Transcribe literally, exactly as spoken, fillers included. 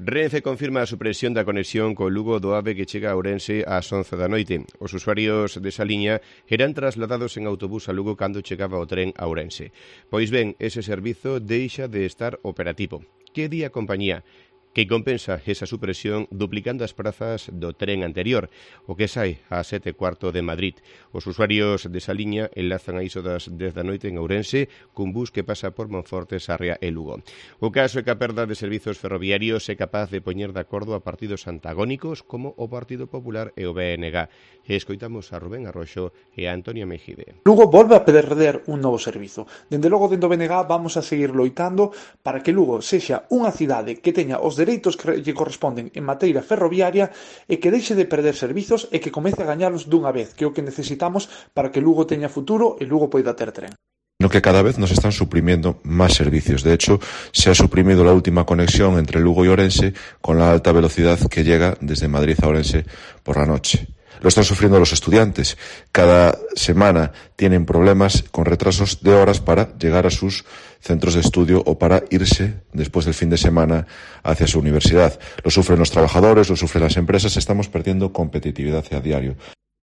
Renfe confirma a supresión da conexión co Lugo do AVE que chega a Ourense ás once da noite. Os usuarios desa liña eran trasladados en autobús a Lugo cando chegaba o tren a Ourense. Pois ben, ese servizo deixa de estar operativo. Que di a compañía? Que compensa esa supresión duplicando as prazas do tren anterior, o que sai a sete e cuarto de Madrid. Os usuarios desa liña enlazan a iso das dez da noite en Ourense cun bus que pasa por Monforte, Sarria e Lugo. O caso é que a perda de servizos ferroviarios é capaz de poñer de acordo a partidos antagónicos como o Partido Popular e o B N G. E escoitamos a Rubén Arroxo e a Antonia Mejide. Lugo volve a perder un novo servizo. Dende logo, dentro do B N G vamos a seguir loitando para que Lugo sexa unha cidade que teña os dereitos que lle corresponden en materia ferroviaria e que deixe de perder servizos e que comece a gañalos dunha vez, que é o que necesitamos para que Lugo teña futuro e Lugo poida ter tren. No que cada vez nos están suprimiendo más servicios. De hecho, se ha suprimido la última conexión entre Lugo y Orense con la alta velocidad que llega desde Madrid a Orense por la noche. Lo están sufriendo los estudiantes. Cada semana tienen problemas con retrasos de horas para llegar a sus centros de estudio o para irse después del fin de semana hacia su universidad. Lo sufren los trabajadores, lo sufren las empresas. Estamos perdiendo competitividad a diario.